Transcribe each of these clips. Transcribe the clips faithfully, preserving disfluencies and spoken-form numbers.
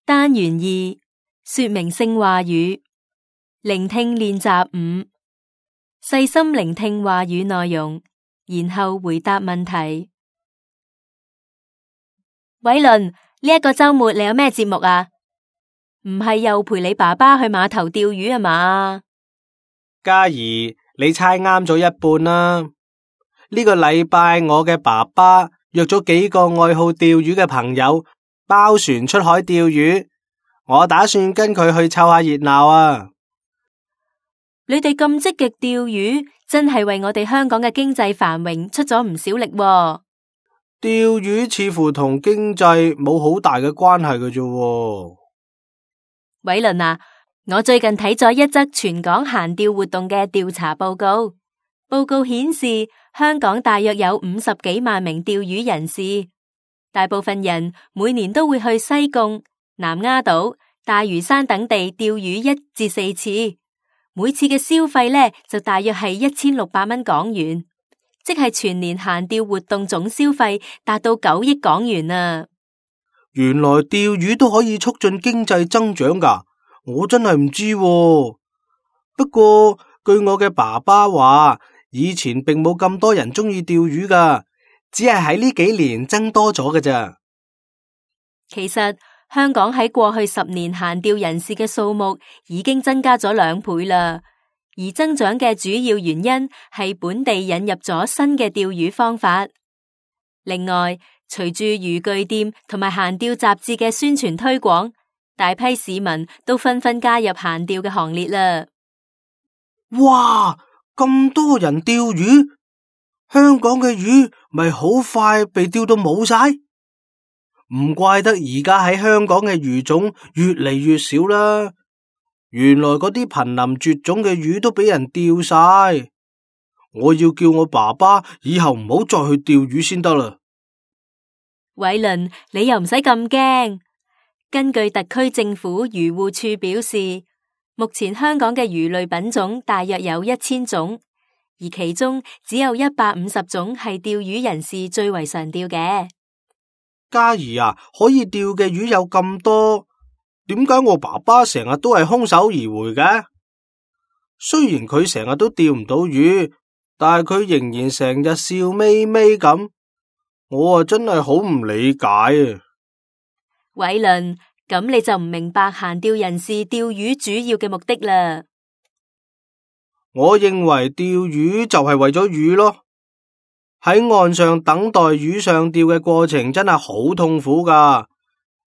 單元二，說明性話語，聆聽練習五，細心聆聽話語內容，然後回答問題。偉倫，呢一個周末你有咩節目啊？唔係又陪你爸爸去碼頭釣魚啊嘛？嘉怡，你猜啱咗一半啦。呢個禮拜我嘅爸爸約咗幾個愛好釣魚嘅朋友包船出海釣魚，我打算跟佢去湊下熱鬧啊。你哋咁積極釣魚，真係為我哋香港嘅經濟繁榮出咗唔少力喎。釣魚似乎同經濟冇好大嘅關係嘅啫。偉倫啊，我最近睇咗一則全港閒釣活動嘅調查報告，報告顯示香港大約有五十幾萬名釣魚人士，大部分人每年都會去西貢、南丫島、大嶼山等地釣魚一至四次，每次嘅消費呢就大約係一千六百蚊港元，即係全年閒釣活動總消費達到九億港元啊！原來釣魚都可以促進經濟增長噶，我真係唔知喎。不過據我嘅爸爸話，以前並冇咁多人中意釣魚噶，只係喺呢幾年增多咗嘅咋。其實香港喺過去十年閒釣人士嘅數目已經增加咗兩倍啦，而增長嘅主要原因係本地引入咗新嘅釣魚方法。另外，隨住漁具店同埋閒釣雜誌嘅宣傳推廣，大批市民都紛紛加入閒釣嘅行列啦。哇！咁多人釣魚，香港嘅魚咪好快被釣到冇晒？唔怪得而家喺香港嘅魚種越嚟越少啦。原來嗰啲瀕臨絕種嘅魚都俾人釣晒。我要叫我爸爸以後唔好再去釣魚先得啦。偉倫，你又唔使咁驚。根據特區政府漁護處表示，目前香港嘅魚類品種大約有一千種，而其中只有一百五十種係釣魚人士最為常釣嘅。嘉怡啊，可以釣嘅魚有咁多，點解我爸爸成日都係空手而回嘅？雖然佢成日都釣唔到魚，但係佢仍然成日笑眯眯咁。我啊真係好唔理解啊！偉倫，咁你就唔明白閒釣人士釣魚主要嘅目的啦。我認為釣魚就係為咗魚咯，喺岸上等待魚上釣嘅過程真係好痛苦噶，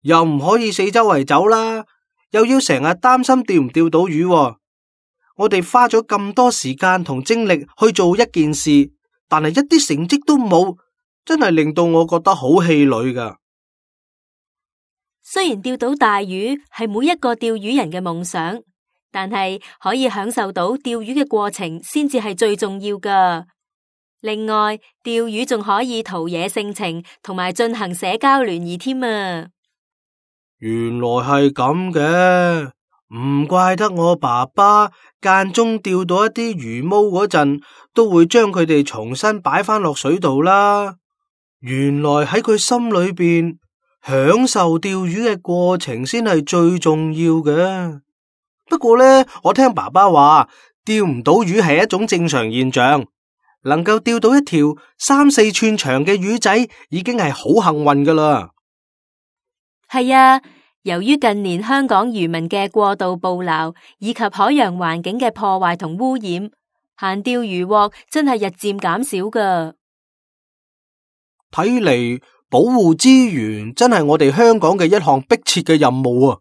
又唔可以四周圍走啦，又要成日擔心釣唔釣到魚喎。我哋花咗咁多時間同精力去做一件事，但係一啲成績都冇。真係令到我覺得好氣餒噶。雖然釣到大魚係每一個釣魚人嘅夢想，但係可以享受到釣魚嘅過程先至係最重要噶。另外，釣魚仲可以陶冶性情，同埋進行社交聯誼添啊。原來係咁嘅，唔怪得我爸爸間中釣到一啲魚毛嗰陣，都會將佢哋重新擺翻落水度啦。原來喺佢心裏邊，享受釣魚嘅過程先係最重要嘅。不過呢，我聽爸爸話，釣唔到魚係一種正常現象，能夠釣到一條三四寸長嘅魚仔，已經係好幸運噶啦。係啊，由於近年香港漁民嘅過度捕撈，以及海洋環境嘅破壞同污染，閒釣漁獲真係日漸減少噶。睇嚟保護資源真係我哋香港嘅一項迫切嘅任務啊！